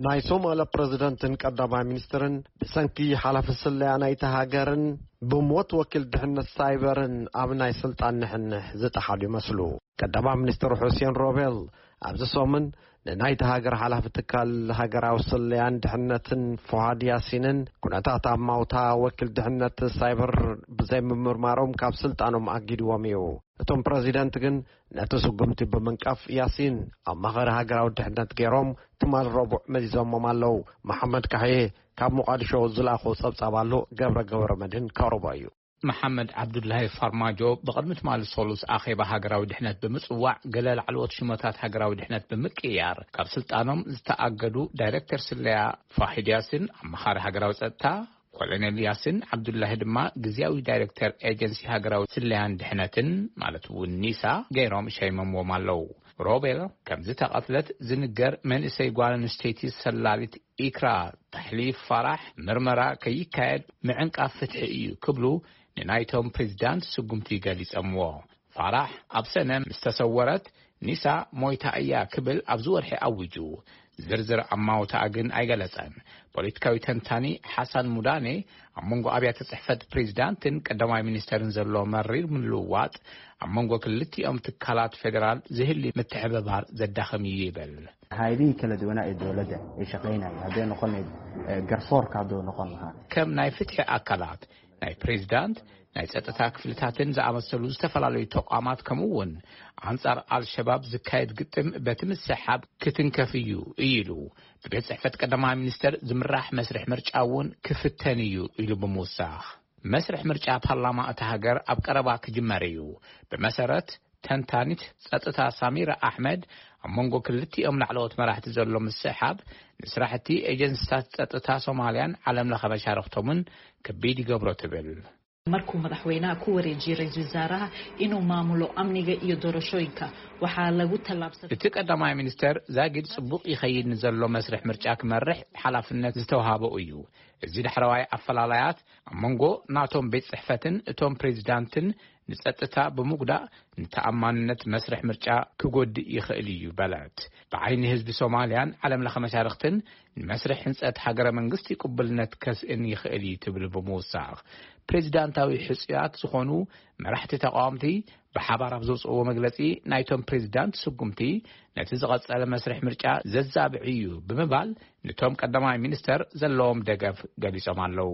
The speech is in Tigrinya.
ናይ ሶማልያ ፕረዚደንትን ቀዳማይ ሚኒስትርን ብሰንኪ ሓላፊ ስለያ ናይቲ ሃገርን ብሞት ወኪል ድሕነት ሳይበርን ኣብ ናይ ስልጣን ንሕንሕ ዝጠሓሉ ይመስሉ። ቀዳማይ ሚኒስትር ሑሴን ሮቤል ኣብዚ ሰሙን ንናይቲ ሃገር ሓላፊ ትካል ሃገራዊ ስለያን ድሕነትን ፎሃድ ያሲንን ኩነታት ኣማውታ ወኪል ድሕነት ሳይበር ብዘይምምርማሮም ካብ ስልጣኖም ኣጊድዎም እዩ። እቶም ፕረዚደንት ግን ነቲ ስጉምቲ ብምንቃፍ ያሲን ኣማኻሪ ሃገራዊ ድሕነት ገይሮም ትማል ረቡዕ መዚዞሞም ኣለዉ። መሓመድ ካሕዬ ካብ ሞቓዲሾ ዝለኣኾ ጸብጻብ ኣሎ። ገብረ ገብረ መድህን ከቕርቦ እዩ። መሓመድ ዓብዱላሂ ፋርማጆ ብቕድሚ ትማሊ ሰሉስ ኣኼባ ሃገራዊ ድሕነት ብምጽዋዕ፣ ገለ ላዕለዎት ሽሞታት ሃገራዊ ድሕነት ብምቅያር ካብ ስልጣኖም ዝተኣገዱ ዳይሬክተር ስለያ ፋሒድ ያሲን፣ ኣማኻሪ ሃገራዊ ጸጥታ ኮሎኔል ያሲን ዓብዱላሂ ድማ ግዝያዊ ዳይሬክተር ኤጀንሲ ሃገራዊ ስለያን ድሕነትን፣ ማለት እውን ኒሳ፣ ገይሮም ሸይሞምዎም ኣለዉ። ሮቤል ከም ዝተቐትለት ዝንገር መንእሰይ ጓል ኣንስተይቲ ሰላሊት ኢክራ ታሕሊፍ ፋራሕ ምርመራ ከይካየድ ምዕንቃፍ ፍትሒ እዩ ክብሉ ንናይቶም ፕሬዚዳንት ስጉምቲ ገሊጸምዎ። ፋራሕ ኣብ ሰነ ምስ ተሰወረት ኒሳ ሞይታ እያ ክብል ኣብዚ ወርሒ ኣዊጁ። ዝርዝር ኣማውታኣ ግን ኣይገለጸን። ፖለቲካዊ ተንታኒ ሓሳን ሙዳኔ ኣብ መንጎ ኣብያተ ጽሕፈት ፕሬዚዳንትን ቀዳማይ ሚኒስተርን ዘሎ መሪር ምልውዋጥ ኣብ መንጎ ክልቲኦም ትካላት ፌደራል ዝህሊ ምትሕብባር ዘዳኽም እዩ ይብል። Hay'adihii kala duwanaa ee dowladda ay shaqaynayeen hadday noqon lahayd garsoorka hadduu noqon lahaa. ከም ናይ ፍትሒ ኣካላት፣ ናይ ፕሬዚዳንት፣ ናይ ጸጥታ ክፍልታትን ዝኣመሰሉ ዝተፈላለዩ ተቋማት፣ ከምኡ እውን ኣንጻር ኣልሸባብ ዝካየድ ግጥም በቲ ምስሕሓብ ክትንከፍ እዩ እዩ ኢሉ። ብቤት ጽሕፈት ቀዳማይ ሚኒስተር ዝምራሕ መስርሕ ምርጫ እውን ክፍተን እዩ ኢሉ ብምውሳኽ፣ መስርሕ ምርጫ ፓርላማ እታ ሃገር ኣብ ቀረባ ክጅመር እዩ። ብመሰረት ተንታኒት ጸጥታ ሳሚራ ኣሕመድ፣ ኣብ መንጎ ክልቲኦም ላዕለዎት መራሕቲ ዘሎ ምስሕሓብ ንስራሕቲ ኤጀንሲታት ጸጥታ ሶማልያን ዓለም ለኸ መሻርኽቶምን ከቢድ ይገብሮ ትብል። Markuu madaxweynaha ku wareejiyey ra-iisul wasaaraha inuu maamulo amniga iyo doorashooyinka, waxaa lagu tallaabsaday. እቲ ቀዳማይ ሚኒስተር ዛጊድ ጽቡቕ ይኸይድ ንዘሎ መስርሕ ምርጫ ክመርሕ ሓላፍነት ዝተውሃቦ እዩ። እዚ ዳሕረዋይ ኣፈላላያት ኣብ መንጎ ናቶም ቤት ጽሕፈትን እቶም ፕሬዚዳንትን ንጸጥታ ብምጉዳእ ንተኣማንነት መስርሕ ምርጫ ክጎድእ ይኽእል እዩ በለት። ብዓይኒ ህዝቢ ሶማልያን ዓለም ለኸ መሻርኽትን ንመስርሕ ህንጸት ሃገረ መንግስቲ ቅቡልነት ከስእን ይኽእል እዩ ትብል ብምውሳኽ፣ ፕሬዚዳንታዊ ሕጹያት ዝኾኑ መራሕቲ ተቃወምቲ ብሓባር ኣብ ዘውፅእዎ መግለጺ፣ ናይቶም ፕሬዚዳንት ስጉምቲ ነቲ ዝቐጸለ መስርሕ ምርጫ ዘዛብዕ እዩ ብምባል ንቶም ቀዳማይ ሚኒስተር ዘለዎም ደገፍ ገሊጾም ኣለዉ።